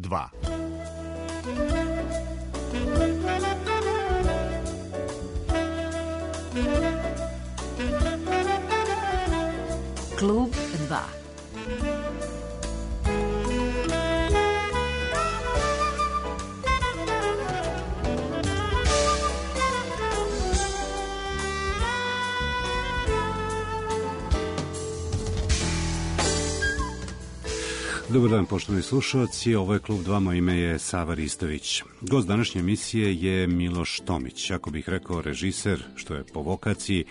2. Klub 2. Dobar dan, poštovani slušalci, ovo je Klub 2, moje ime je Sava Ristović. Gost današnje emisije je Miloš Tomić. Ako bih rekao režiser, što je po vokaciji,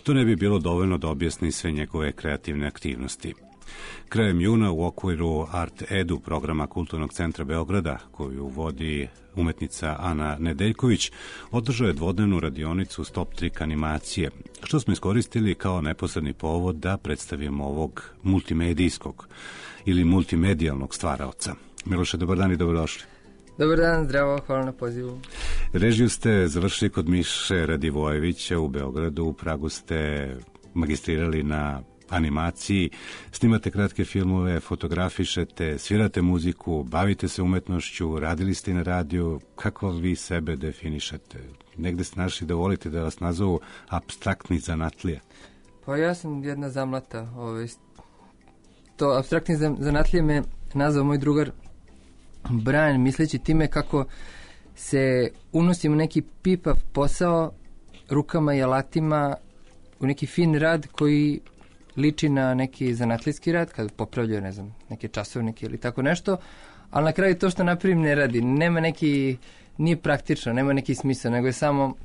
to ne bi bilo dovoljno da objasni sve njegove kreativne aktivnosti. Krajem juna u okviru Art Edu programa Kulturnog centra Beograda, koju vodi umetnica Ana Nedeljković, održao je dvodnevnu radionicu Stop Trick animacije, što smo iskoristili kao neposredni povod da predstavimo ovog multimedijskog ili multimedijalnog stvaraoca. Miloše, dobar dan i dobrodošli. Dobar dan, zdravo, hvala na pozivu. Režiju ste završili kod Miše Radivojevića u Beogradu, u Pragu ste magistrirali na animaciji, snimate kratke filmove, fotografišete, svirate muziku, bavite se umetnošću, radili ste na radiju. Kako vi sebe definišete? Negde ste našli da volite da vas nazovu apstraktni zanatlija? Pa ja sam jedna zamlata. To apstraktni zanatlije me nazvao moj drugar Brian, misleći time kako se unosim u neki pipav posao rukama i alatima, u neki fin rad koji liči na neki zanatlijski rad, kad popravljaju, ne znam, neke časovnike ili tako nešto, ali na kraju to što napravim ne radi. Nema neki, nije praktično, nema neki smisao, nego je samo,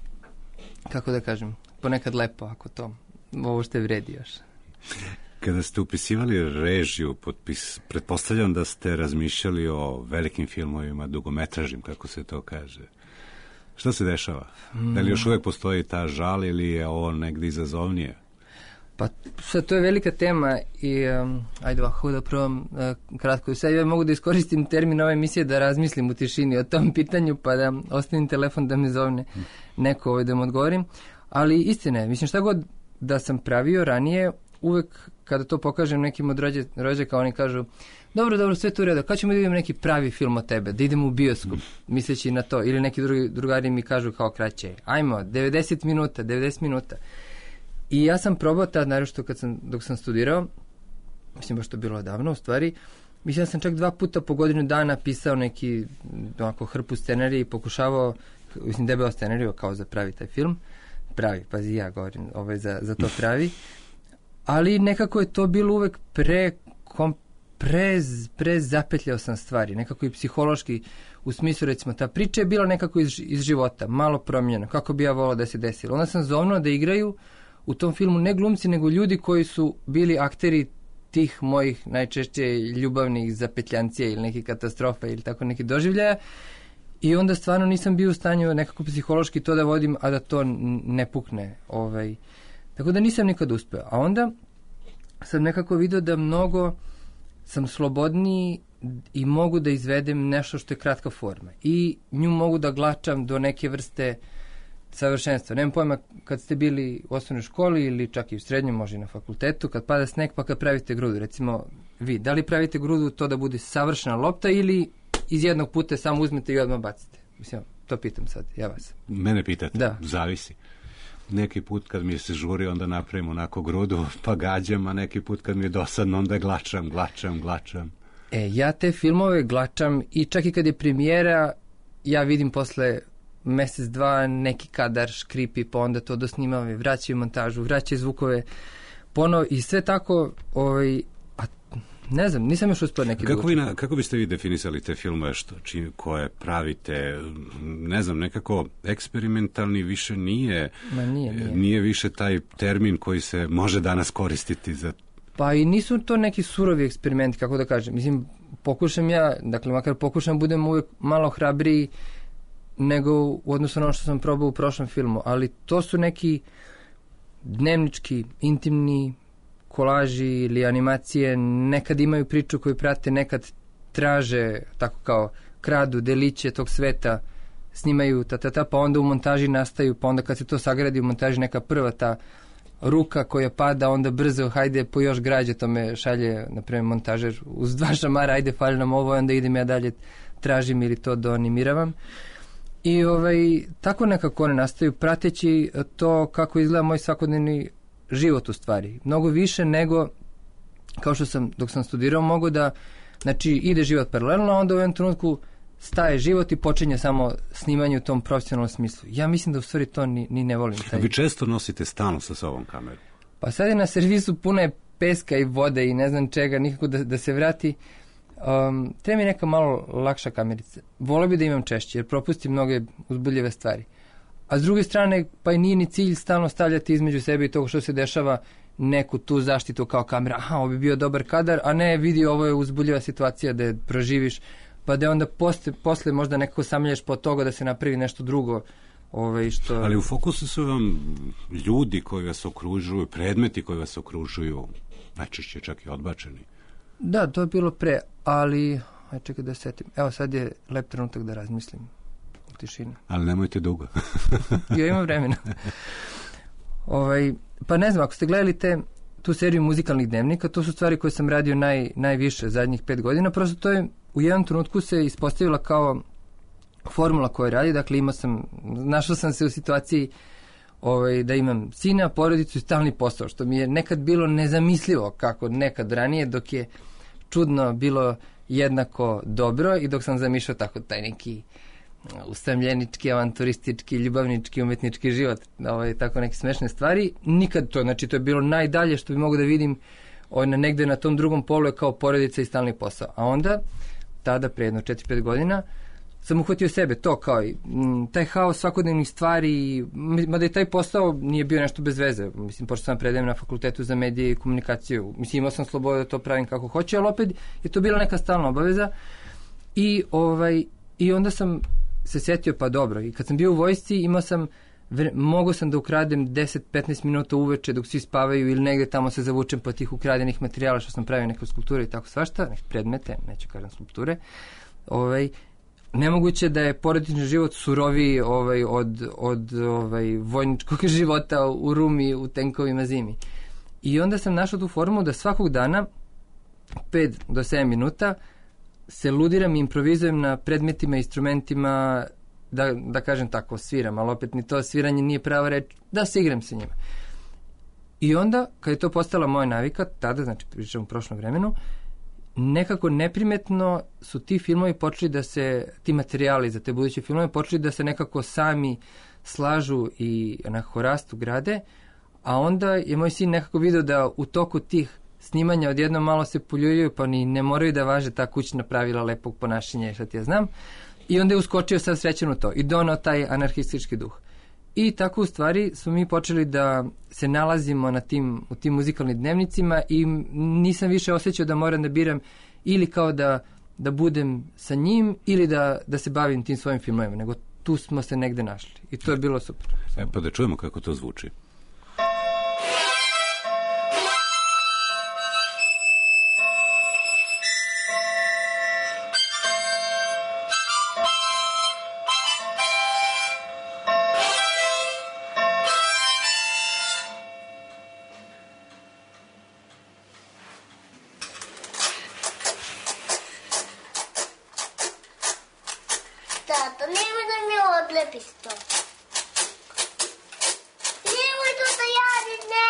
kako da kažem, ponekad lepo, ako to, ovo što je vredi još. Kada ste upisivali režiju, pretpostavljam da ste razmišljali o velikim filmovima, dugometražnim, kako se to kaže. Šta se dešava? Da li još uvek postoji ta žal ili je ovo negdje izazovnije? Pa sad to je velika tema i ajde ovako da probam kratko. Sad ja mogu da iskoristim termin ove emisije da razmislim u tišini o tom pitanju pa da ostavim telefon da me zovne neko da mu odgovorim. Ali istina je, mislim šta god da sam pravio ranije, uvek kada to pokažem nekim od rođaka, oni kažu dobro, sve to u redu, kad ćemo da vidimo neki pravi film o tebe, da idemo u bioskop, misleći na to, ili neki drugari mi kažu kao kraće, ajmo, 90 minuta. I ja sam probao tad, naravno dok sam studirao, mislim baš to bilo davno u stvari, mislim da sam čak 2 puta po godinu dana pisao neki onako hrpu scenarija i pokušavao, mislim debeo scenariju kao za pravi taj film, pravi, pazi ja govorim, za to pravi, ali nekako je to bilo uvek zapetljao sam stvari, nekako i psihološki, u smislu recimo ta priča je bila nekako iz života, malo promijenjena, kako bi ja volao da se desilo. Onda sam zovnuo da igraju u tom filmu ne glumci, nego ljudi koji su bili akteri tih mojih najčešće ljubavnih zapetljancija ili nekih katastrofa ili tako neki doživljaja i onda stvarno nisam bio u stanju nekako psihološki to da vodim, a da to ne pukne. Tako da nisam nikad uspeo. A onda sam nekako vidio da mnogo sam slobodniji i mogu da izvedem nešto što je kratka forma. I nju mogu da glačam do neke vrste savršenstva. Nemam pojma, kad ste bili u osnovnoj školi ili čak i u srednjem, može i na fakultetu, kad pada sneg pa kad pravite grudu, recimo vi, da li pravite grudu to da bude savršena lopta ili iz jednog puta samo uzmete i odmah bacite? Mislim, to pitam sad, ja vas. Mene pitate? Da. Zavisi. Neki put kad mi se žuri, onda napravim onako grudu, pa gađam, a neki put kad mi je dosadno, onda glačam. Ja te filmove glačam i čak i kad je premijera, ja vidim posle mesec, dva neki kadar škripi, pa onda to dosnimam, vraćaju montažu, vraćaju zvukove, ponovo i sve tako, ne znam, nisam još uspio neki Kako biste vi definisali te filmove koje pravite, ne znam, nekako eksperimentalni više nije. Nije više taj termin koji se može danas koristiti za... Pa i nisu to neki surovi eksperimenti, kako da kažem. Mislim, pokušam ja, dakle, makar pokušam budem uvijek malo hrabriji nego u odnosu na ono što sam probao u prošlom filmu, ali to su neki dnevnički, intimni kolaži ili animacije, nekad imaju priču koju prate, nekad traže, tako kao kradu deliće tog sveta, snimaju pa onda u montaži nastaju, pa onda kad se to sagradi u montaži neka prva ta ruka koja pada, onda brzo, hajde po još građe, to me šalje, naprimjer, montažer uz 2 šamara, ajde, fali nam ovo, onda idem ja dalje tražim ili to doanimiravam. I tako nekako one nastaju prateći to kako izgleda moj svakodnevni život u stvari. Mnogo više nego kao što sam dok sam studirao mogu da znači ide život paralelno, a onda u jednom trenutku staje život i počinje samo snimanje u tom profesionalnom smislu. Ja mislim da u stvari to ni ne volim. Vi često nosite stalno sa sobom kameru? Pa sad je na servisu puno je peska i vode i ne znam čega, nikako da se vrati. Treba mi neka malo lakša kamerica. Voleo bi da imam češće, jer propustim mnoge uzbudljive stvari. A s druge strane, pa i nije ni cilj stalno stavljati između sebe i toga što se dešava neku tu zaštitu kao kamera. Aha, ovo bi bio dobar kadar, a ne vidi ovo je uzbudljiva situacija da je proživiš, pa da onda posle možda nekako samljaš po toga da se napravi nešto drugo. Što... Ali u fokusu su vam ljudi koji vas okružuju, predmeti koji vas okružuju, najčešće čak i odbačeni. Da, to je bilo pre, ali čekaj da setim. Evo sad je lep trenutak da razmislim u tišini. Ali nemojte dugo. Ja imam vremena. Pa ne znam, ako ste gledali tu seriju muzikalnih dnevnika, to su stvari koje sam radio najviše zadnjih 5 godina, prosto to je u jednom trenutku se ispostavila kao formula koju radi, dakle našao sam se u situaciji da imam sina, porodicu i stalni posao, što mi je nekad bilo nezamislivo kako nekad ranije, dok je čudno bilo jednako dobro i dok sam zamišljao tako taj neki usamljenički, avanturistički, ljubavnički, umetnički život, tako neke smešne stvari. Nikad to, znači to je bilo najdalje što bi mogu da vidim negde na tom drugom polu je kao porodica i stalni posao. A onda, tada, pre jedno 4-5 godina, sam uhvatio sebe, to kao i taj haos svakodnevnih stvari, mada i taj posao nije bio nešto bez veze. Mislim, pošto sam predajem na fakultetu za medije i komunikaciju. Mislim, imao sam slobodu da to pravim kako hoće, ali opet je to bila neka stalna obaveza. I onda sam se setio, pa dobro, i kad sam bio u vojsci, mogao sam da ukradem 10-15 minuta uveče dok svi spavaju ili negde tamo se zavučem po tih ukradenih materijala što sam pravio neke skulpture i tako svašta, neke predmete, neću kažem skulpture. Nemoguće da je porodični život suroviji od vojničkog života u Rumi, u tenkovima zimi. I onda sam našao tu formu da svakog dana 5 do 7 minuta se ludiram i improvizujem na predmetima, instrumentima, da kažem tako, sviram, ali opet ni to sviranje nije prava reč, da se igram sa njima. I onda, kad je to postala moja navika, tada, znači pričam u prošlom vremenu, nekako neprimetno su ti filmovi počeli da se, ti materijali za te buduće filmove počeli da se nekako sami slažu i nekako rastu, grade, a onda je moj sin nekako vidio da u toku tih snimanja odjedno malo se poljuljaju, pa ni ne moraju da važe ta kućna pravila lepog ponašanja, šta ti ja znam. I onda je uskočio sad srećan u to i donao taj anarhistički duh. I tako u stvari smo mi počeli da se nalazimo u tim muzikalnim dnevnicima i nisam više osjećao da moram da biram ili kao da budem sa njim ili da se bavim tim svojim filmovima, nego tu smo se negde našli. I to je bilo super. Pa da čujemo kako to zvuči. Tato, nemoj da mi odlepiš to. Nemoj to da jadiš, ne!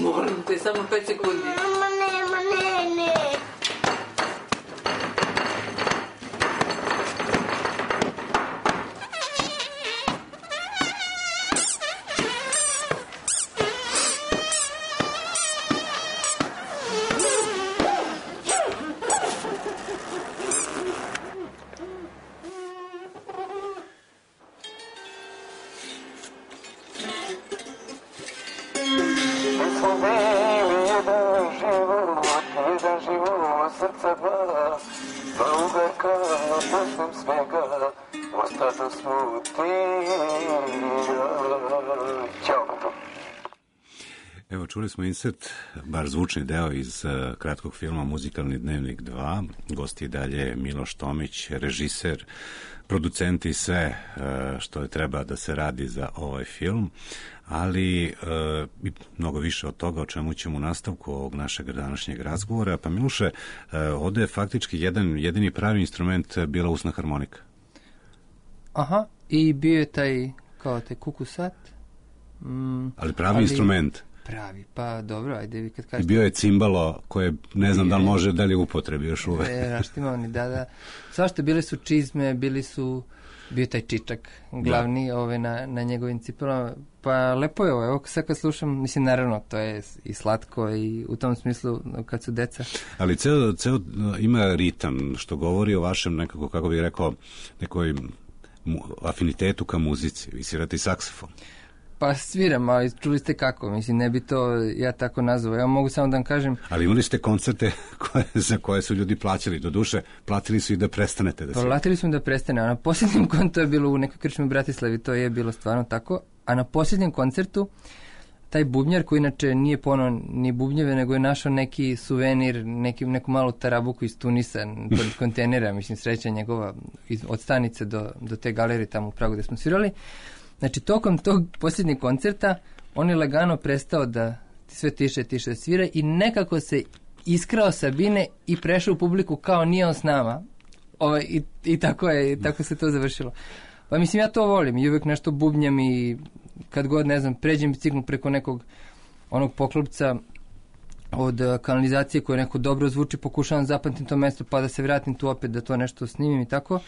Molim te, samo 5 sekundi. Mama, ne. sam svega, ostanu smutio. Ćao. Evo, čuli smo insert, bar zvučni deo iz kratkog filma Muzikalni dnevnik 2. Gost je dalje Miloš Tomić, režiser, producent i sve što je treba da se radi za ovaj film, ali mnogo više od toga o čemu ćemo u nastavku ovog našeg današnjeg razgovora. Pa Miloše, ovde je faktički jedini pravi instrument bila usna harmonika. Aha, i bio je taj kukusat. Ali pravi instrument. Pravi, pa dobro, ajde vi kad kažete. I bio je cimbalo koje ne znam da li može da li upotrebi još uvek. Raštimani, da. Svašta, bile su čizme, bio je taj čičak glavni na njegovim cipelama. Pa lepo je ovo, evo sad kad slušam, mislim naravno to je i slatko i u tom smislu kad su deca. Ali ceo ima ritam što govori o vašem nekako, kako bih rekao, nekoj afinitetu ka muzici. Vi svirate i saksofon. Pa sviram, ali čuli ste kako, mislim, ne bi to ja tako nazvao. Ja mogu samo da vam kažem... Ali imali ste koncerte za koje su ljudi plaćali, do duše, platili su i da prestanete da svirate. Platili su da prestane, a na posljednjem koncertu je bilo u nekoj krčmi u Bratislavi, to je bilo stvarno tako, a na posljednjem koncertu taj bubnjar koji inače nije ponao ni bubnjeve, nego je našao neki suvenir, neku malu tarabuku iz Tunisa, pod kontejnera, mislim, sreća njegova, od stanice do te galerije tamo u Pragu gde smo svirali. Znači, tokom tog posljednjeg koncerta on je lagano prestao da sve tiše da svira i nekako se iskrao sa bine i prešao u publiku kao nije on s nama. I tako se to završilo. Pa mislim, ja to volim i uvijek nešto bubnjam i kad god, ne znam, pređem biciklu preko nekog onog poklopca od kanalizacije koje neko dobro zvuči, pokušavam zapamtim to mesto pa da se vratim tu opet da to nešto snimim i tako.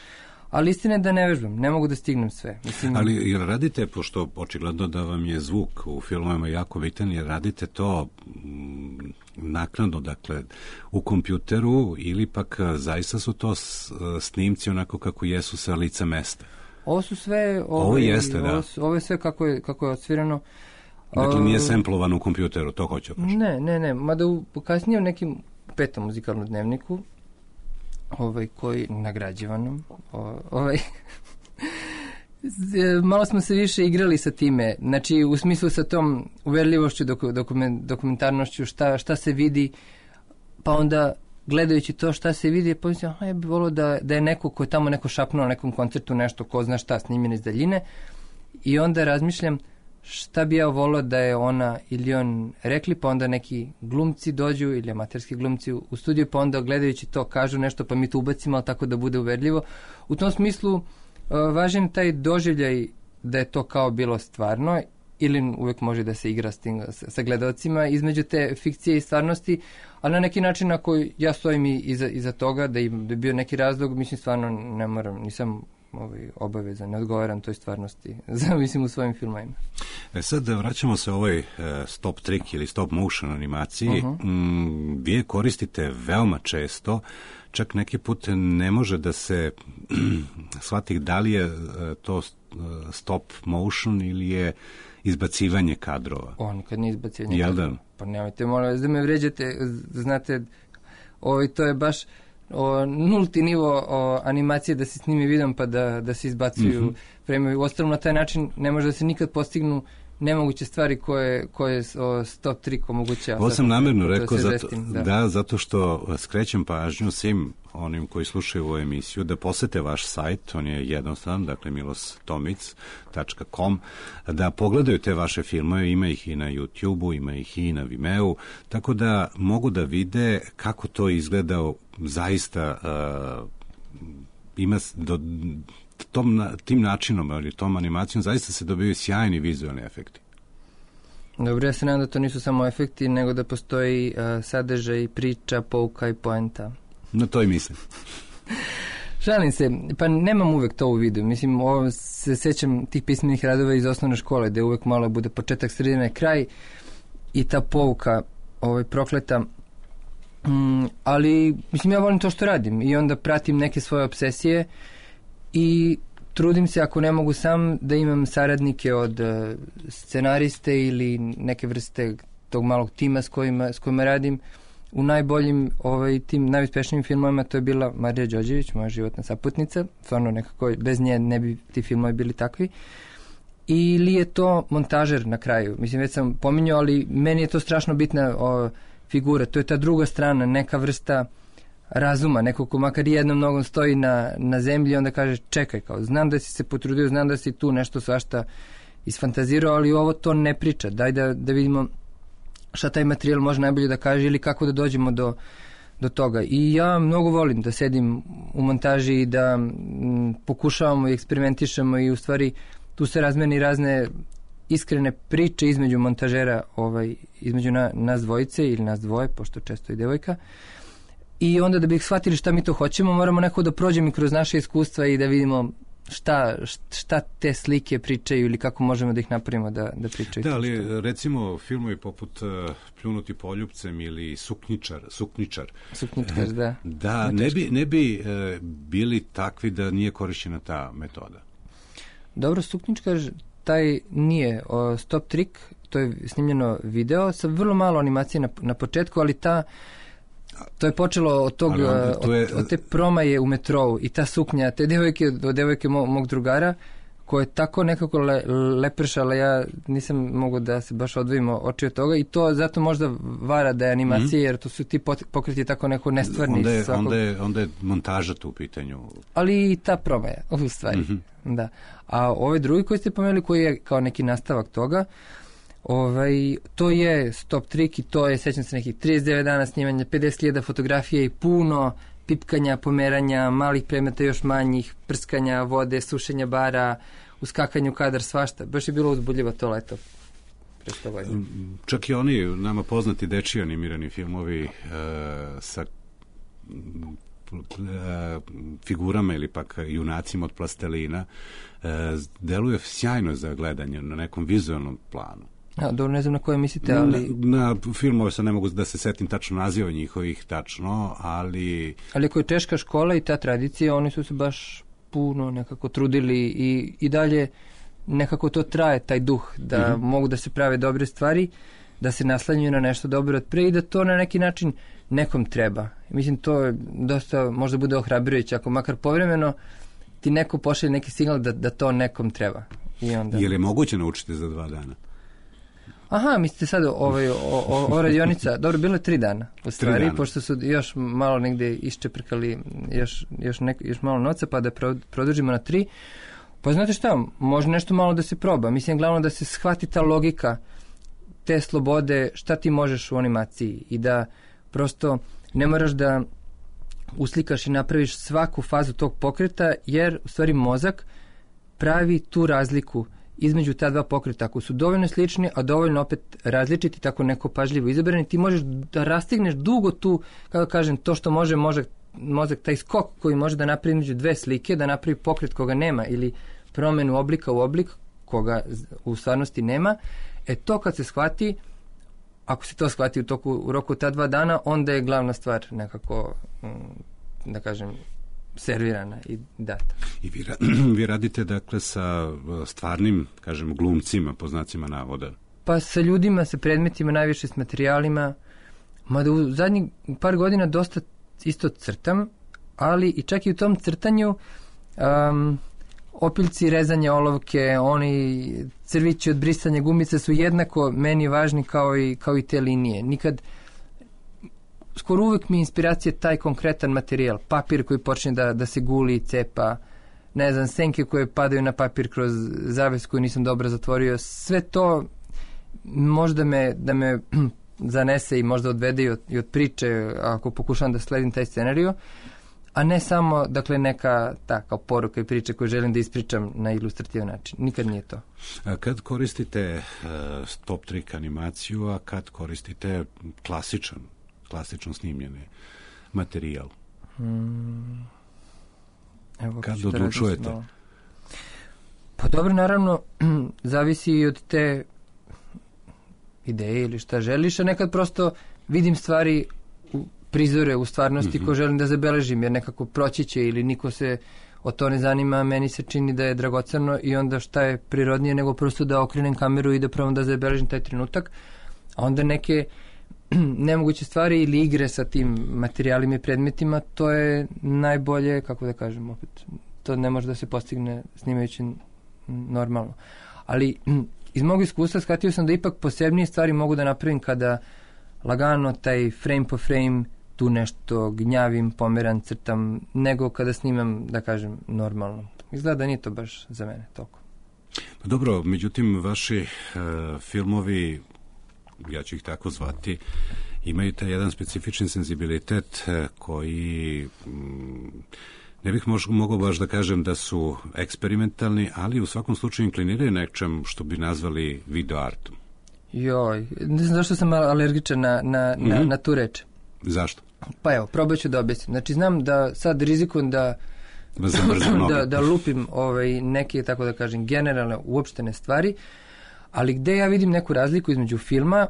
Ali istina je da ne vežbam, ne mogu da stignem sve. Mislim... Ali jer radite, pošto očigledno da vam je zvuk u filmovima jako bitan, jer radite to naknadno, dakle, u kompjuteru ili pak zaista su to snimci onako kako jesu sa lica mesta? Ovo su sve... Ovo jeste, da. Ovo je sve kako je odsvirano. Dakle, nije semplovano u kompjuteru, to hoću kažem. Ne, mada kasnije u nekim 5. muzikalnom dnevniku, koji nagrađivanom malo smo se više igrali sa time, znači u smislu sa tom uverljivošću, dokumentarnošću, šta se vidi, pa onda gledajući to šta se vidi, pa mislim, ja bih volio da je neko ko je tamo neko šapnuo na nekom koncertu nešto, ko zna šta, snimljeno iz daljine, i onda razmišljam šta bi ja volio da je ona ili on rekli, pa onda neki glumci dođu ili amaterski glumci u studiju, pa onda gledajući to kažu nešto, pa mi to ubacimo, ali tako da bude uverljivo. U tom smislu važan taj doživljaj da je to kao bilo stvarno, ili uvek može da se igra sa gledalcima između te fikcije i stvarnosti, ali na neki način ako ja stojim iza toga, da je bio neki razlog, mislim stvarno ne moram, nisam obavezan, ne odgovaram toj stvarnosti, mislim u svojim filmovima. Sad vraćamo se ovoj stop trick ili stop motion animaciji. Vi je koristite veoma često, čak neki put ne može da se shvati da li je to stop motion ili je izbacivanje kadrova. Kad nije izbacivanje kadrova. Pa nemojte, molim vas da me vređate, znate, to je baš nulti nivo animacije da se snimi videom pa da se izbacuju fremovi. Uostalom na taj način ne može da se nikad postignu nemoguće stvari koje stop trick omogućava. Ovo sam namjerno rekao zato što skrećem pažnju svim onim koji slušaju ovu emisiju da posete vaš sajt, on je jednostavan, dakle milostomic.com, da pogledaju te vaše filmove, ima ih i na YouTube-u, ima ih i na Vimeo, tako da mogu da vide kako to izgleda zaista tim načinom ili tom animacijom zaista se dobiju sjajni vizualni efekti. Dobro, ja se nadam da to nisu samo efekti, nego da postoji sadržaj, priča, pouka i poenta. Na to i mislim. Šalim se, pa nemam uvek to u vidu. Mislim, se sećam tih pismenih radova iz osnovne škole, gde uvek malo bude početak, sredina i kraj i ta pouka prokleta. Ali, mislim, ja volim to što radim i onda pratim neke svoje obsesije i trudim se, ako ne mogu sam, da imam saradnike od scenariste ili neke vrste tog malog tima s kojima radim, u najboljim tim najuspešnijim filmovima to je bila Marija Đorđević, moja životna saputnica, stvarno nekako bez nje ne bi ti filmovi bili takvi. Ili je to montažer na kraju, mislim već sam pominjao, ali meni je to strašno bitna figura, to je ta druga strana, neka vrsta razuma, neko ko makar jednom nogom stoji na zemlji i onda kaže čekaj, kao, znam da si se potrudio, znam da si tu nešto svašta isfantazirao, ali ovo to ne priča, daj da vidimo šta taj materijal može najbolje da kaže ili kako da dođemo do toga. I ja mnogo volim da sedim u montaži i da pokušavamo i eksperimentišemo i u stvari tu se razmeni razne iskrene priče između montažera, između nas dvojice ili nas dvoje, pošto često i devojka. I onda da bi shvatili šta mi to hoćemo, moramo nekako da prođemo i kroz naše iskustva i da vidimo šta te slike pričaju ili kako možemo da ih napravimo da pričaju. Da, ali recimo filmovi poput Pljunuti poljupcem ili Sukničar, da. Da, ne bi bili takvi da nije korišćena ta metoda. Dobro, Sukničar, taj nije stop trik, to je snimljeno video sa vrlo malo animacije na početku, ali to je počelo od te promaje u metrou i ta suknja, te devojke mog drugara, koja je tako nekako lepršala, ja nisam mogao da se baš odvojimo oči od toga i to zato možda vara da je animacija, jer to su ti pokreti tako neko nestvarni. Onda je montaža tu u pitanju. Ali i ta promaja, u stvari. Da. A ovaj drugi koji ste pomenuli, koji je kao neki nastavak toga, to je stop trik i to je, sećam se, nekih 39 dana snimanja, 50.000 fotografije i puno pipkanja, pomeranja, malih predmeta još manjih, prskanja vode, sušenja bara, uskakanje u kadar, svašta. Baš je bilo uzbudljivo to leto. Čak i oni nama poznati dečiji animirani filmovi sa figurama ili pak junacima od plastelina deluje sjajno za gledanje na nekom vizualnom planu. Dobro, ne znam na koje mislite, ali... Na filmove se ne mogu da se setim tačno naziva njihovih tačno, ali... Ali ako je češka škola i ta tradicija, oni su se baš puno nekako trudili i dalje nekako to traje, taj duh, da mogu da se prave dobre stvari, da se naslanjuju na nešto dobro od pre i da to na neki način nekom treba. Mislim, to je dosta, možda bude ohrabrujuće, ako makar povremeno ti neko pošalje neki signal da to nekom treba. I onda... Je li moguće naučiti za 2 dana? Aha, mislite sad o radionica, dobro, bilo je 3 dana u stvari, pošto su još malo negde iščeprkali još malo novca, pa da produžimo na 3. Pa znate šta, može nešto malo da se proba. Mislim, glavno da se shvati ta logika te slobode, šta ti možeš u animaciji i da prosto ne moraš da uslikaš i napraviš svaku fazu tog pokreta, jer u stvari mozak pravi tu razliku između ta dva pokreta. Ako su dovoljno slični, a dovoljno opet različiti, tako neko pažljivo izabrani, ti možeš da rastigneš dugo tu, kako kažem, to što može mozak, taj skok koji može da napravi između 2 slike, da napravi pokret koga nema ili promenu oblika u oblik koga u stvarnosti nema. To kad se shvati, ako se to shvati u roku ta 2 dana, onda je glavna stvar nekako, da kažem, servirana i data. I vi radite dakle sa stvarnim, kažem, glumcima, po znacima navoda? Pa sa ljudima, sa predmetima, najviše s materijalima, mada u zadnjih par godina dosta isto crtam, ali i čak i u tom crtanju opiljci, rezanje olovke, oni crvići od brisanja gumice su jednako meni važni kao i te linije. Nikad, skoro uvek mi je inspiracija taj konkretan materijal, papir koji počne da se guli i cepa, ne znam, senke koje padaju na papir kroz zaves koju nisam dobro zatvorio, sve to možda da me zanese i možda odvede i od priče ako pokušam da sledim taj scenariju, a ne samo, dakle, neka kao poruka i priče koju želim da ispričam na ilustrativan način. Nikad nije to. A kad koristite stop trik animaciju, a kad koristite klasično snimljeni materijal? Kad odlučujete? Pa dobro, naravno, zavisi i od te ideje ili šta želiš, a nekad prosto vidim stvari prizore u stvarnosti koje želim da zabeležim, jer nekako proći će ili niko se o to ne zanima, meni se čini da je dragoceno i onda šta je prirodnije nego prosto da okrenem kameru i da probam da zabeležim taj trenutak, a onda neke nemoguće stvari ili igre sa tim materijalima i predmetima, to je najbolje, kako da kažem opet, to ne može da se postigne snimajući normalno. Ali iz mog iskustva shvatio sam da ipak posebnije stvari mogu da napravim kada lagano taj frame po frame tu nešto gnjavim, pomeram, crtam, nego kada snimam, da kažem, normalno. Izgleda da nije to baš za mene toliko. Pa dobro, međutim, vaši filmovi, ja ću ih tako zvati, imaju taj jedan specifični senzibilitet koji ne bih mogao baš da kažem da su eksperimentalni, ali u svakom slučaju inkliniraju nečem što bi nazvali video artom. Joj, ne znam zašto sam alergičan na tu reč. Zašto? Pa evo, probat ću da objasnim. Znači, znam da sad rizikujem da lupim neke, tako da kažem, generalne, uopštene stvari, ali gde ja vidim neku razliku između filma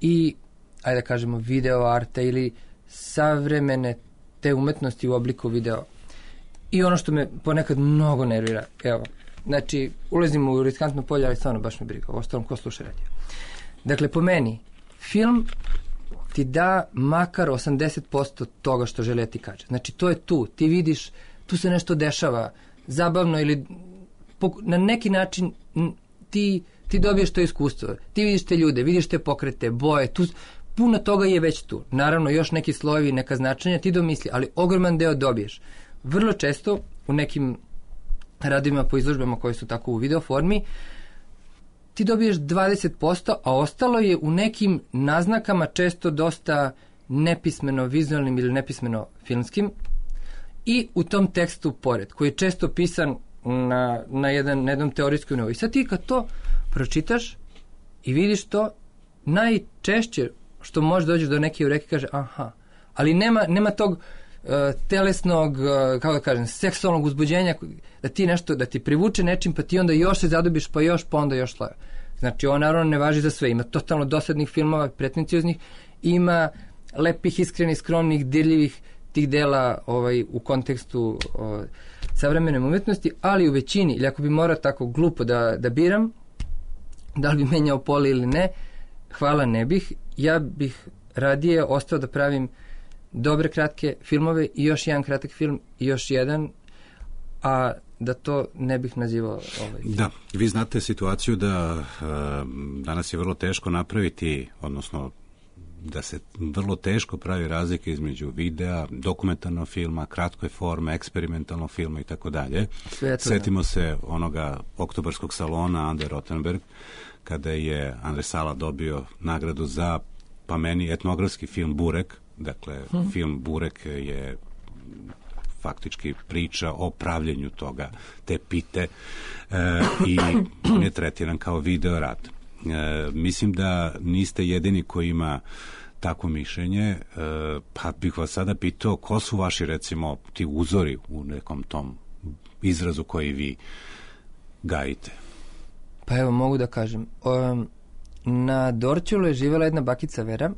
i, ajde da kažemo, video arta ili savremene te umetnosti u obliku video. I ono što me ponekad mnogo nervira, evo, znači, ulazimo u riskantno polje, ali stvarno baš me briga, ostalom ko sluša radio. Dakle, po meni, film ti da makar 80% toga što želi da ti kaže. Znači, to je tu, ti vidiš, tu se nešto dešava, zabavno ili na neki način ti dobiješ to iskustvo, ti vidiš te ljude, vidiš te pokrete, boje, tu puno toga je već tu. Naravno, još neki slojevi, neka značenja, ti domisli, ali ogroman deo dobiješ. Vrlo često u nekim radovima po izložbama koje su tako u video formi, ti dobiješ 20%, a ostalo je u nekim naznakama često dosta nepismeno vizualnim ili nepismeno filmskim i u tom tekstu pored, koji je često pisan na jednom teorijskom nivou. I sad ti kad to pročitaš i vidiš to, najčešće što može dođeš do neke ureke kaže aha, ali nema tog telesnog, kako da kažem, seksualnog uzbuđenja da ti nešto, da ti privuče nečim, pa ti onda još se zadobiš, pa još, pa onda još slava. Znači, ovo naravno ne važi za sve. Ima totalno dosadnih filmova, pretencioznih, ima lepih, iskrenih, skromnih, dirljivih tih dela u kontekstu savremene umetnosti, ali u većini, ili ako bi morao tako glupo da biram, da li bi menjao poli ili ne, hvala ne bih. Ja bih radije ostao da pravim dobre kratke filmove i još jedan kratak film i još jedan, a da to ne bih nazivao Da, vi znate situaciju da danas je vrlo teško napraviti, odnosno da se vrlo teško pravi razlika između videa, dokumentarnog filma, kratke forme, eksperimentalnog filma i tako dalje. Setimo se onoga oktobarskog salona Ande Rothenberg, kada je Andre Sala dobio nagradu za, pa meni, etnografski film Burek. Dakle, film Burek je faktički priča o pravljenju toga, te pite, i on je tretiran kao video rad. Mislim da niste jedini koji ima takvo mišljenje, pa bih vas sada pitao ko su vaši, recimo, ti uzori u nekom tom izrazu koji vi gajite? Pa evo, mogu da kažem. Na Dorćolu je živjela jedna bakica Vera,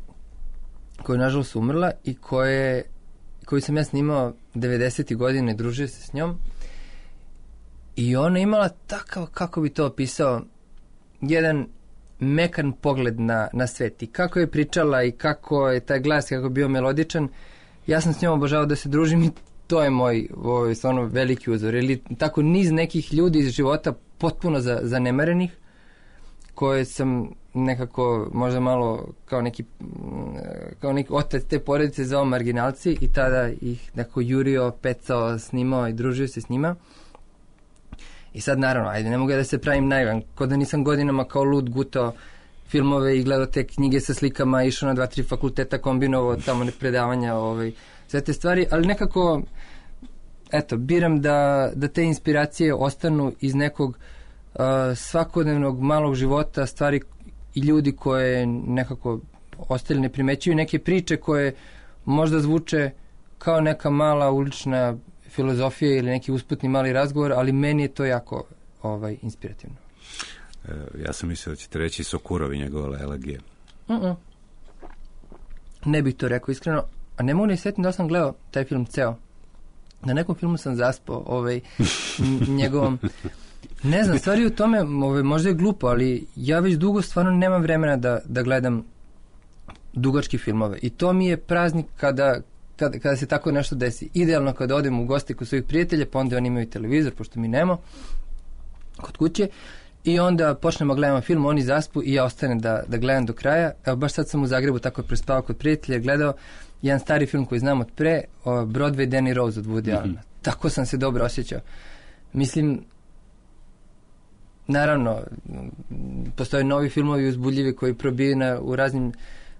koja je nažalost umrla i koju sam ja snimao 90. godine, družio se s njom. I ona imala takav, kako bi to opisao, jedan mekan pogled na svet i kako je pričala i kako je taj glas, kako je bio melodičan. Ja sam s njom obožavao da se družim i to je moj stvarno veliki uzor. Ili tako niz nekih ljudi iz života potpuno zanemarenih, koje sam nekako možda malo kao neki otac te porodice zvao marginalci i tada ih nekako jurio, pecao, snimao i družio se s njima. I sad naravno, ajde, ne mogu da se pravim naivan, ko da nisam godinama kao lud gutao filmove i gledao te knjige sa slikama, išao na 2-3 fakulteta, kombinovao tamo predavanja, sve te stvari, ali nekako, eto, biram da te inspiracije ostanu iz nekog svakodnevnog malog života, stvari i ljudi koje nekako ostali ne primećuju, neke priče koje možda zvuče kao neka mala ulična filozofija ili neki usputni mali razgovor, ali meni je to jako inspirativno. Ja sam mislio da ćete reći Sokurov i njegove elegije. Ne bih to rekao iskreno, a ne mogu ne sjetiti da sam gledao taj film ceo. Na nekom filmu sam zaspao njegovom. Ne znam, stvari u tome možda je glupo, ali ja već dugo stvarno nemam vremena da gledam dugačke filmove. I to mi je praznik kada se tako nešto desi. Idealno kada odem u goste kod svojih prijatelja, pa onda oni imaju televizor, pošto mi nemo, kod kuće, i onda počnemo gledamo film, oni zaspu i ja ostanem da gledam do kraja. Evo, baš sad sam u Zagrebu tako prespavao kod prijatelja, gledao jedan stari film koji znam od pre, Broadway Danny Rose od Woody Allena. Tako sam se dobro osjećao. Mislim, naravno, postoje novi filmovi uzbudljivi koji probijaju u raznim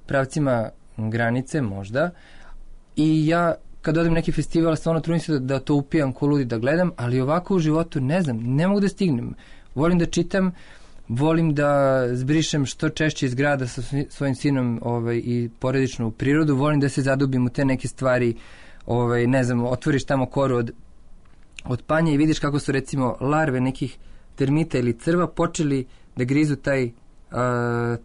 pravcima granice, možda. I ja, kad odem neki festival, stvarno trudim se da to upijam ko ludi da gledam, ali ovako u životu, ne znam, ne mogu da stignem. Volim da čitam, volim da zbrišem što češće iz grada sa svojim sinom i porodično u prirodu, volim da se zadubim u te neke stvari, ne znam, otvoriš tamo koru od panja i vidiš kako su recimo larve nekih termita ili crva počeli da grizu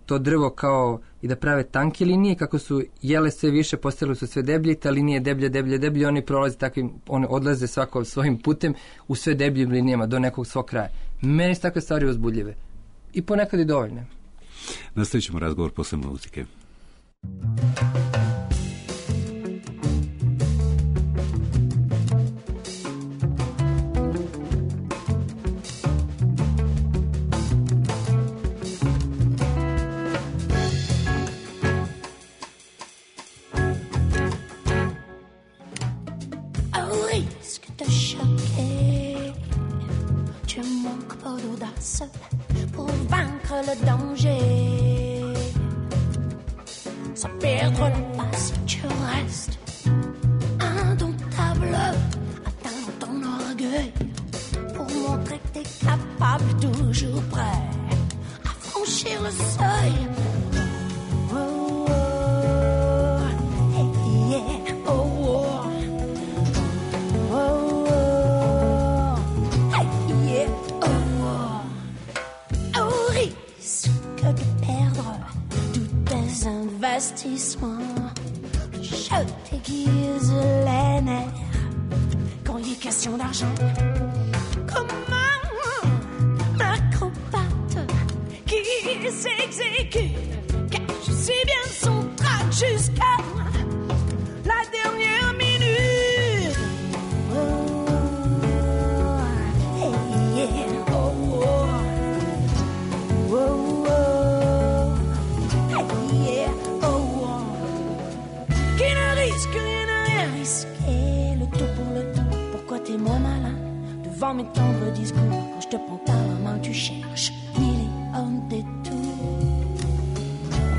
to drvo kao i da prave tanke linije, kako su jele sve više, postale su sve deblje, ta linija je deblje, oni prolaze takvim, one odlaze svako svojim putem u sve debljim linijama do nekog svog kraja. Meni su takve stvari uzbudljive. I ponekad i dovoljne. Nastavit ćemo razgovor posle muzike. Pour vaincre le danger, sans perdre la face, tu restes indomptable, atteins ton orgueil pour montrer que t'es capable, toujours prêt à franchir le seuil. Oh, oh, hey, yeah, oh, oh. Je t'aiguise les nerfs quand il est question d'argent. Comme un acrobate qui s'exécute, cache si bien son trac jusqu'à la dernière minute. Oh, hey, yeah, oh, oh. Oh, oh. Hey, yeah. Le tout pour le tout, pourquoi t'es mon malin? Devant mes tendres discours, quand je te prends par la main, tu cherches mille et un détours.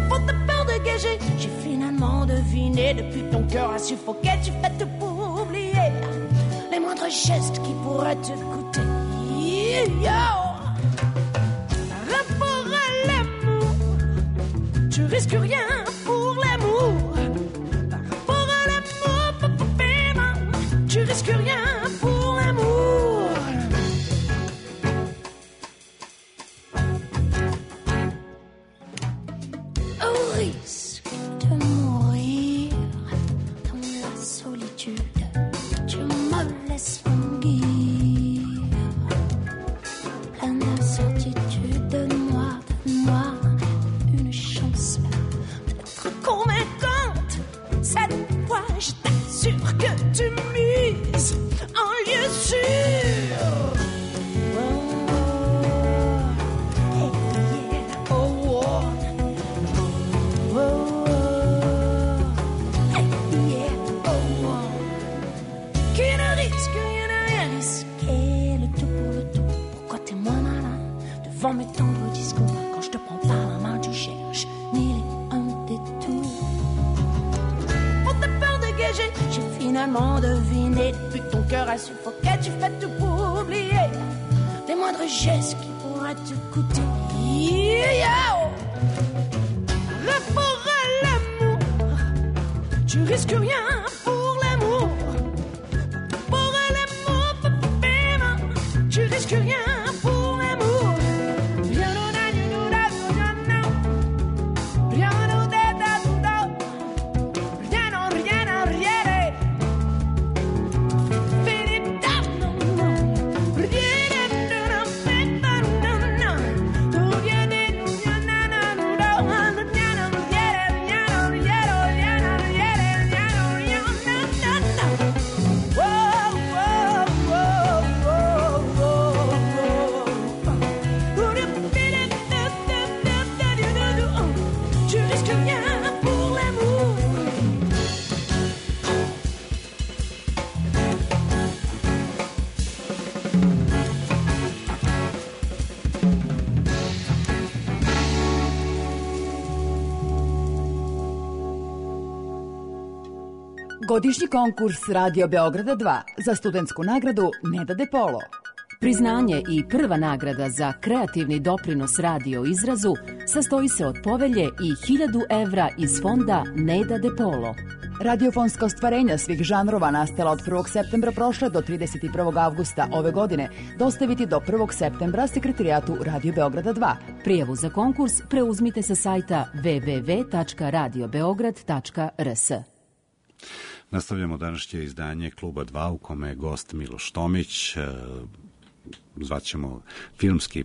Pour te peur de gager, j'ai finalement deviné. Depuis ton cœur a suffoqué, tu fais tout pour oublier les moindres gestes qui pourraient te coûter. Yo! Rapport à l'amour, tu risques rien pour l'amour. Tu risques rien pour l'amour. Au risque de mourir dans la solitude, tu me laisses languir. Plein d'incertitude, donne-moi une chance d'être convaincante. Cette fois, je t'assure que tu mises en lieu sûr. Oh, hey, yeah, oh, oh. Oh, hey, yeah, oh, oh. Qui ne risque rien à rien risquer, le tout pour le tout. Pourquoi t'es moins malin devant mes tendres discours? Quand je te prends par la main, tu cherches mille et un détours. Pour te peur de gager, j'ai finalement deviné. Depuis que ton cœur a suffoqué, tu fais tout pour oublier les moindres gestes qui pourraient te coûter. Yo! Rapport à l'amour, tu risques rien pour l'amour. Pour l'amour, tu risques rien pour l'amour. Godišnji konkurs Radio Beograda 2 za studentsku nagradu Neda De Polo. Priznanje i prva nagrada za kreativni doprinos radio izrazu sastoji se od povelje i 1000 evra iz fonda Neda De Polo. Radiofonska ostvarenja svih žanrova nastala od 1. septembra prošle do 31. avgusta ove godine dostaviti do 1. septembra sekretarijatu Radio Beograda 2. Prijavu za konkurs preuzmite sa sajta www.radiobeograd.rs. Nastavljamo današnje izdanje Kluba 2 u kome je gost Miloš Tomić, zvaćemo filmski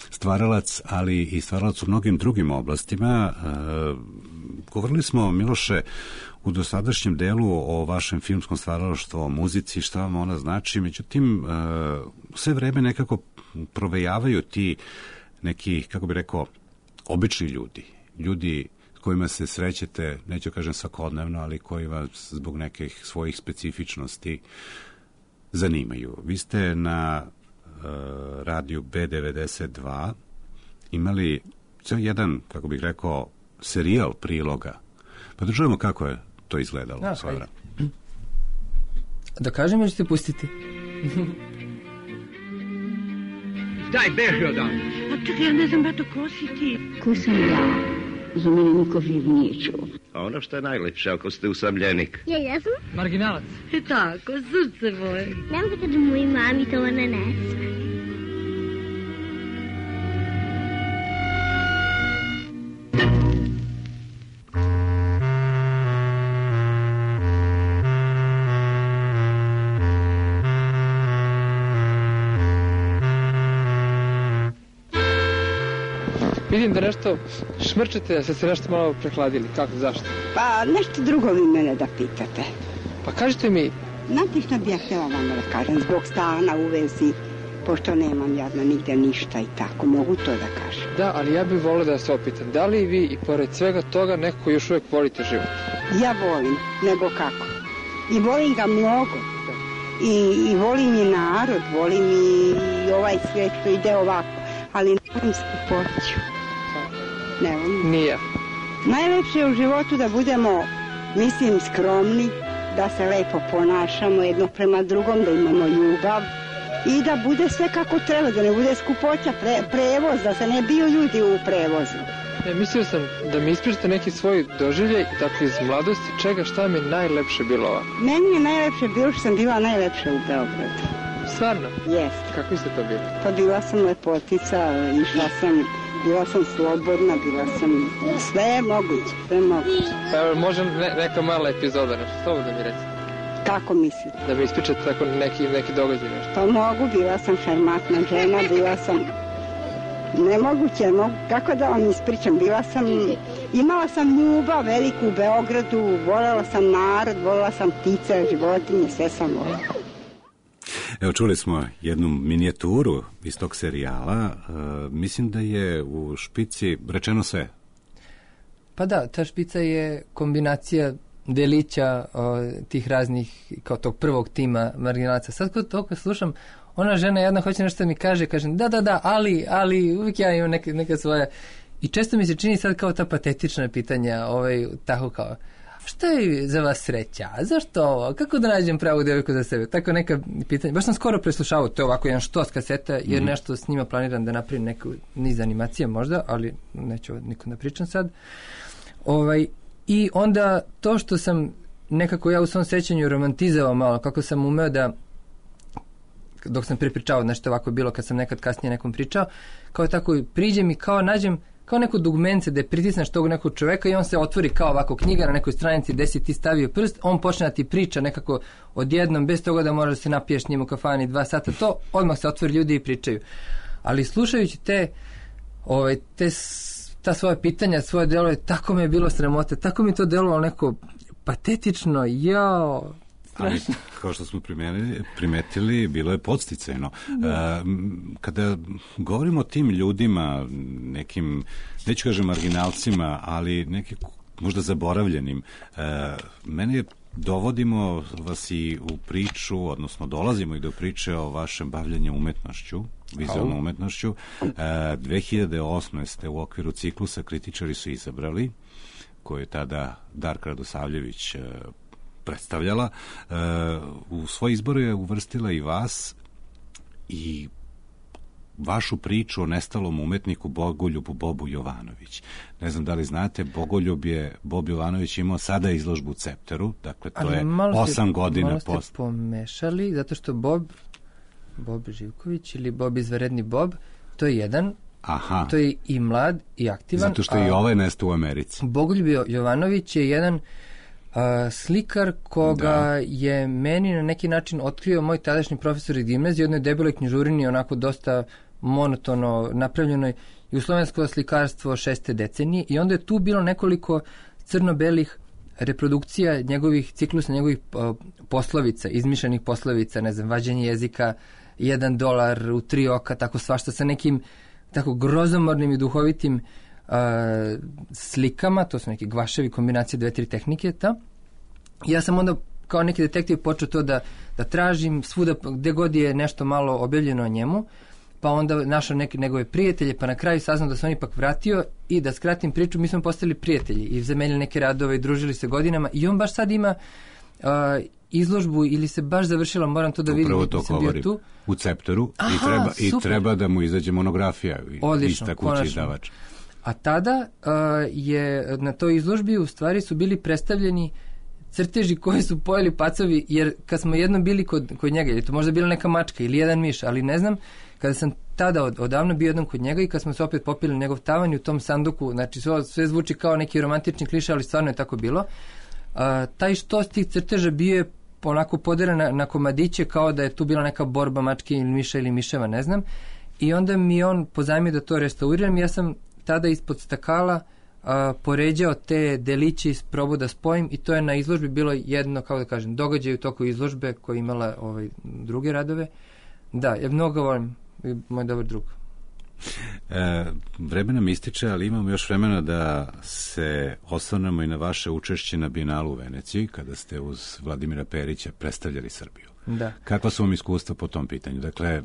stvaralac, ali i stvaralac u mnogim drugim oblastima. Govorili smo, Miloše, u dosadašnjem delu o vašem filmskom stvaralaštvu, o muzici, šta vam ona znači, međutim, sve vreme nekako provejavaju ti neki, kako bi rekao, obični ljudi s kojima se srećete, neću kažem svakodnevno, ali koji vas zbog nekih svojih specifičnosti zanimaju. Vi ste na radiju B92 imali ceo jedan, kako bih rekao, serijal priloga. Pa da čujemo kako je to izgledalo. Da kažem ili ćete pustiti? Daj, beži odavde. A čekaj, ja ne znam, bato, ko si ti? Ko sam ja? Za mene niko živ nije čuo. A ono što je najlepše, ako ste usamljenik. Ja jesam? Marginalac. Tako, srce moje. Nemojte da moj mami to ne sme. Vidim da nešto šmrčete, da ste se nešto malo prehladili. Kako, zašto? Pa nešto drugo vi mene da pitate. Pa kažite mi... Znate što bi ja htjela vama da kažem, zbog stana u vezi, pošto nemam jadno nigde ništa i tako, mogu to da kažem. Da, ali ja bih volio da se opitam, da li vi i pored svega toga nekako još uvijek volite život? Ja volim, nego kako. I volim ga mnogo. I volim i narod, volim i ovaj svijet što ide ovako, ali ne volim skupoću. Ne volim. Nije. Najlepše je u životu da budemo, mislim, skromni, da se lepo ponašamo jedno prema drugom, da imamo ljubav i da bude sve kako treba, da ne bude skupoća, prevoz, da se ne biju ljudi u prevozu. Mislio sam da mi ispričate neki svoj doživljaj, dakle iz mladosti, šta mi je najlepše bilo ovako? Meni je najlepše bilo što sam bila najlepša u Beogradu. Stvarno? Jeste. Kako ste to bili? Pa bila sam lepotica, bila sam slobodna, bila sam sve moguće. Pa može neka mala epizoda, nešto, to da mi recite. Kako mislite? Da mi ispričate tako neki događaj nešto. Pa mogu, bila sam šarmantna žena, bila sam... Nemoguće, kako da vam ispričam, imala sam ljubav veliku u Beogradu, voljela sam narod, voljela sam ptice, životinje, sve sam voljela. Evo, čuli smo jednu minijaturu iz tog serijala. Mislim da je u špici rečeno sve. Pa da, ta špica je kombinacija delića tih raznih, kao tog prvog tima marginalaca. Sad kod toga slušam, ona žena jedna hoće nešto da mi kaže, kažem da, ali uvijek ja imam neka svoja. I često mi se čini sad kao ta patetična pitanja, tako kao, šta je za vas sreća? Zašto ovo? Kako da nađem pravu devojku za sebe? Tako neka pitanja. Baš sam skoro preslušavao, to je ovako jedan štos kaseta, jer nešto s njima planiram da napravim neku niz animacije možda, ali neću nikom da pričam sad. I onda to što sam nekako ja u svom sećanju romantizao malo, kako sam umeo da dok sam prepričao nešto ovako je bilo kad sam nekad kasnije nekom pričao, kao tako priđem i kao nađem kao neko dugmence da pritisneš tog nekog čoveka i on se otvori kao ovako knjiga na nekoj stranici gde si ti stavio prst, on počne da ti priča nekako odjednom, bez toga da moraš da se napiješ njim u kafani 2 sata, to odmah se otvori ljudi i pričaju. Ali slušajući ta svoja pitanja, svoje delove, tako me je bilo sramote, tako mi to delovalo neko patetično, jao. Ali, kao što smo primetili, bilo je podsticajno. Kada govorimo o tim ljudima, nekim, neću kažem marginalcima, ali nekim možda zaboravljenim, mene dovodimo vas i u priču, odnosno dolazimo i do priče o vašem bavljenju umetnošću, vizualnom umetnošću. 2008. ste u okviru ciklusa Kritičari su izabrali, koju je tada Darka Radosavljević predstavljala. U svoj izbor je uvrstila i vas i vašu priču o nestalom umetniku Bogoljubu Bobu Jovanović. Ne znam da li znate, Bob Jovanović imao sada izložbu u Cepteru, dakle to je 8 godina malo ste pomešali, zato što Bob Živković ili Bob izvanredni Bob, to je jedan, to je i mlad i aktivan. Zato što i ovaj nestao u Americi. Bogoljub Jovanović je jedan slikar koga je meni na neki način otkrio moj tadašnji profesor iz gimnazije, jednoj debeloj knjižurini, onako dosta monotono napravljenoj, jugoslovensko slikarstvo 6. decenije, i onda je tu bilo nekoliko crno-belih reprodukcija njegovih ciklusa, njegovih poslovica, izmišljenih poslovica, ne znam, vađenje jezika, $1 u 3 oka, tako svašta, sa nekim tako grozomornim i duhovitim slikama, to su neki gvaševi, kombinacije 2-3 tehnike. Ja sam onda kao neki detektiv počeo to da tražim svuda gde god je nešto malo objavljeno o njemu, pa onda našao neke njegove prijatelje, pa na kraju saznao da se on ipak vratio, i da skratim priču, mi smo postali prijatelji i zamenili neke radove i družili se godinama, i on baš sad ima izložbu, ili se baš završila, moram to da vidim. Upravo to govorim, u Cepteru. I treba da mu izađe monografija. Odlično, konačno. A tada je na toj izložbi u stvari su bili predstavljeni crteži koje su pojeli pacovi, jer kad smo jednom bili kod njega, je to možda bila neka mačka ili jedan miš, ali ne znam, kada sam tada odavno bio jednom kod njega i kad smo se opet popili njegov tavan i u tom sanduku, znači sve zvuči kao neki romantični kliše, ali stvarno je tako bilo. Taj štos tih crteža bio je onako poderen na komadiće, kao da je tu bila neka borba mačke ili miša ili miševa, ne znam. I onda mi on pozajmio da to restauriram. Ja sam tada ispod stakala poređao te deliće i probao da spojim, i to je na izložbi bilo jedno, kao da kažem, događaj u toku izložbe koja je imala druge radove. Da, ja mnogo volim, moj dobar drug. Vreme nam ističe, ali imamo još vremena da se osvrnemo i na vaše učešće na Bijenalu u Veneciji, kada ste uz Vladimira Perića predstavljali Srbiju. Da. Kakva su vam iskustva po tom pitanju? Dakle,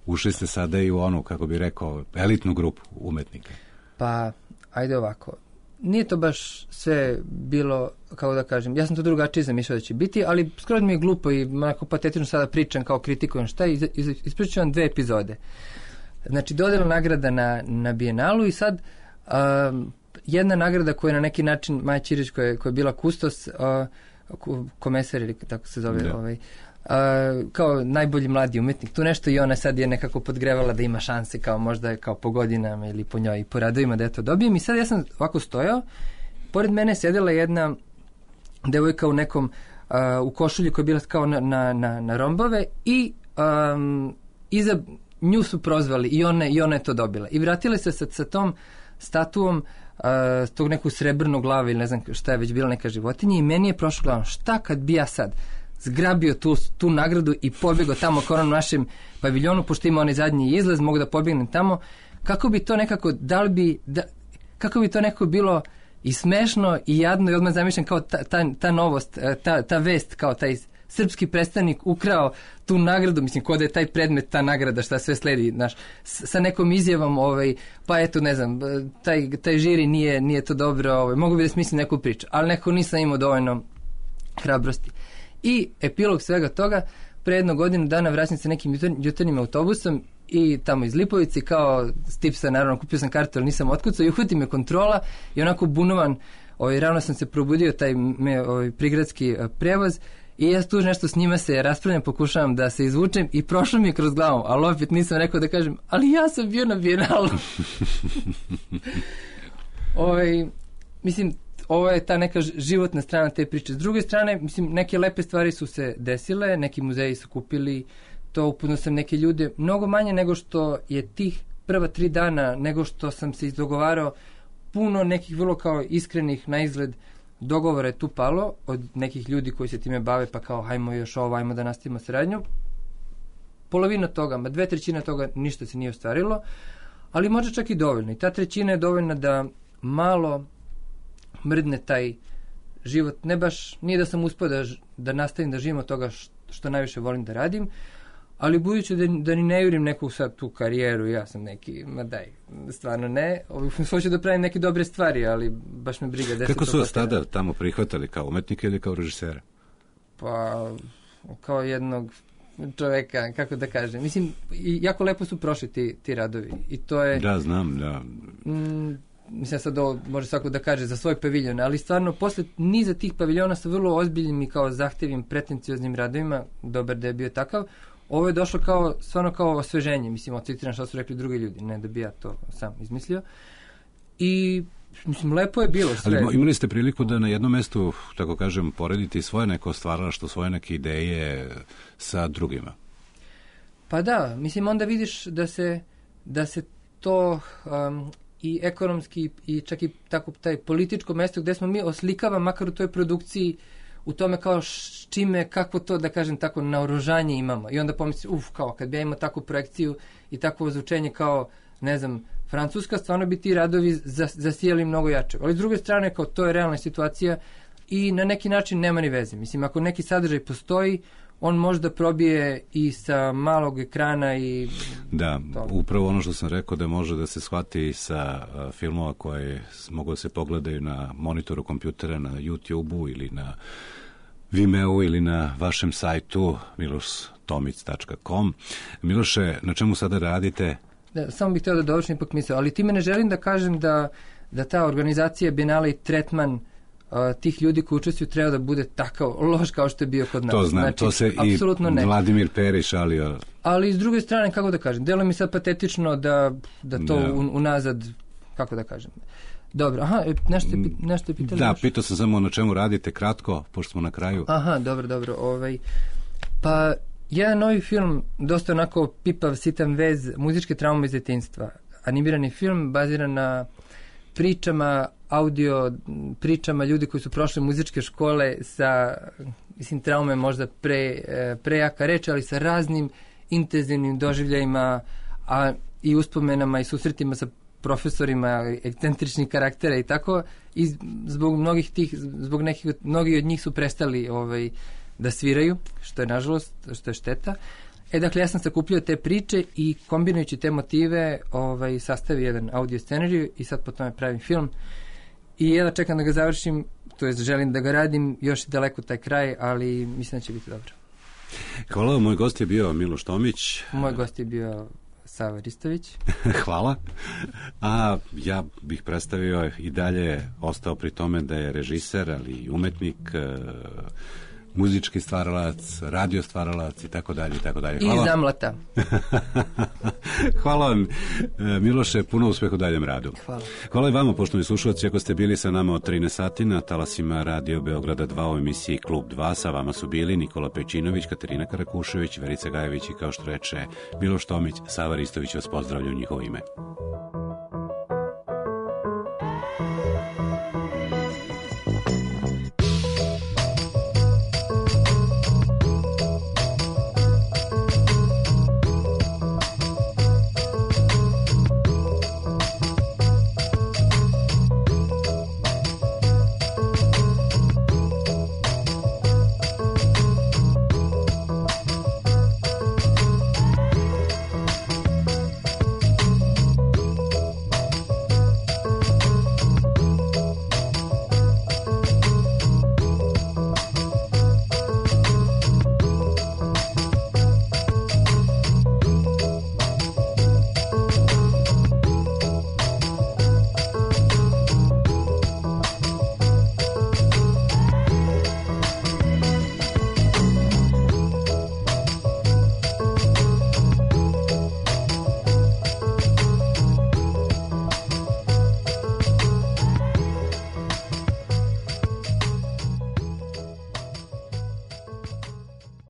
ušli ste sada i u onu, kako bih rekao, elitnu grupu umetnika. Pa, ajde ovako. Nije to baš sve bilo, kako da kažem, ja sam to drugačije zamišljao da će biti, ali skoro mi je glupo i onako patetično sada pričam kao kritikujem šta, ispričat ću vam 2 epizode. Znači, dodela nagrada na Bijenalu, i sad jedna nagrada koja je na neki način Maja Ćirić, koja je bila kustos, komesar, ili tako se zove, kao najbolji mladi umetnik, tu nešto, i ona sad je nekako podgrevala da ima šanse, kao možda kao po godinama ili po njoj i po radovima da to dobijem. I sad ja sam ovako stojao, pored mene sedela jedna devojka u nekom u košulji koja je bila kao na rombove, i iza nju su prozvali i ona je to dobila. I vratile se sa tom statuom tog neku srebrnu glavu ili ne znam šta je već bila, neka životinja, i meni je prošlo glavom, šta kad bi ja sad zgrabio tu nagradu i pobjegao tamo kao na našem paviljonu, pošto ima onaj zadnji izlaz, mogu da pobjegnem tamo, kako bi to nekako, kako bi to nekako bilo i smešno i jadno, i odmah zamišljam kao ta novost, ta vest, kao taj srpski predstavnik ukrao tu nagradu, mislim, kod je taj predmet, ta nagrada, šta sve sledi, znaš, sa nekom izjavom, pa eto, ne znam, taj žiri nije to dobro, mogu bi da smislim neku priču, ali nekako nisam imao dovoljno hrabrosti. I epilog svega toga, pre 1 godinu dana vraćam se nekim jutarnjim autobusom i tamo iz Lipovici, kao stipsa, naravno, kupio sam kartu, ali nisam otkucao, i uhvati me kontrola i onako bunovan, ravno sam se probudio, taj prigradski prevoz, i ja tu nešto s njima se raspravljam, pokušavam da se izvučem, i prošlo mi je kroz glavu, ali opet nisam rekao da kažem, ali ja sam bio na Bijenalu. Mislim, ovo je ta neka životna strana te priče. S druge strane, mislim, neke lepe stvari su se desile, neki muzeji su kupili to, upoznao sam neke ljude, mnogo manje nego što je tih prva 3 dana, nego što sam se izdogovarao, puno nekih vrlo kao iskrenih na izgled dogovora je tu palo od nekih ljudi koji se time bave, pa kao hajmo još ovo, hajmo da nastavimo saradnju. Polovina toga, 2/3 toga ništa se nije ostvarilo, ali možda čak i dovoljno. I ta 1/3 je dovoljna da malo mrdne taj život. Ne baš, nije da sam uspio da nastavim da živim od toga što najviše volim da radim, ali budući da ni ne jurim neku sad tu karijeru, ja sam neki, ma daj, stvarno ne, hoću da pravim neke dobre stvari, ali baš me briga. Kako su vas tada tamo prihvatali, kao umetnika ili kao režisera? Pa, kao jednog čoveka, kako da kažem. Mislim, jako lepo su prošli ti radovi. I to je... Da, znam, da. Mislim, sad ovo može svako da kaže za svoj paviljon, ali stvarno, posle niza tih paviljona sa vrlo ozbiljnim i kao zahtevim, pretencioznim radovima, dobar da je bio takav, ovo je došlo kao, stvarno kao osveženje. Mislim, ocitiram šta su rekli drugi ljudi, ne da bi ja to sam izmislio. I mislim, lepo je bilo sve. Ali imali ste priliku da na jednom mestu, tako kažem, porediti svoje neko stvaralaštvo, svoje neke ideje sa drugima? Pa da, mislim, onda vidiš da se to i ekonomski i čak i tako taj političko mesto gde smo mi oslikava, makar u toj produkciji, u tome kao čime, kako to, da kažem tako, naoružanje imamo. I onda pomisli, kao kad bi ja imao takvu projekciju i takvo ozvučenje kao, ne znam, Francuska, stvarno bi ti radovi zasijali mnogo jače. Ali s druge strane, kao to je realna situacija i na neki način nema ni veze. Mislim, ako neki sadržaj postoji, on možda probije i sa malog ekrana i... Da, upravo ono što sam rekao da može da se shvati sa filmova koje mogu da se pogledaju na monitoru kompjutera, na YouTube-u ili na Vimeo ili na vašem sajtu miloštomic.com. Miloše, na čemu sada radite? Da, samo bih htio da dovršim ipak misao, ali time ne želim da kažem da ta organizacija Bienale i tretman tih ljudi koji učestvuju treba da bude takav loš kao što je bio kod nas. To znam, znači, to se i Vladimir Perić šalio. Ali s druge strane, kako da kažem, delo mi sad patetično da to unazad, kako da kažem. Dobro, nešto je pitali? Da, pitao sam samo na čemu radite, kratko, pošto smo na kraju. Aha, dobro. Pa, jedan novi film, dosta onako pipav, sitan vez, muzičke traume iz detinjstva. Animirani film baziran na audio pričama ljudi koji su prošli muzičke škole sa, mislim, traume možda prejaka reč, ali sa raznim intenzivnim doživljajima i uspomenama i susretima sa profesorima, ekscentričnih karaktera i tako, i zbog mnogi od njih su prestali da sviraju, što je nažalost, što je šteta. Dakle, ja sam sakupljio te priče i kombinujući te motive sastavio jedan audio scenariju i sad po tome pravim film. I jedva čekam da ga završim, to jest želim da ga radim, još je daleko taj kraj, ali mislim da će biti dobro. Hvala, moj gost je bio Miloš Tomić. Moj gost je bio Sava Ristović. Hvala. A ja bih predstavio i dalje ostao pri tome da je režiser, ali i umetnik, muzički stvaralac, radio stvaralac i tako dalje. Hvala. I zamlata. Hvala vam, Miloše, puno uspeha u daljem radu. Hvala. Hvala i vama, poštovani slušalci, ako ste bili sa nama od 13 sati na talasima Radio Beograda 2 u emisiji Klub 2. Sa vama su bili Nikola Pejčinović, Katarina Karakušević, Verica Gajević i, kao što reče Miloš Tomić, Sava Ristović vas pozdravlja u njihovo ime.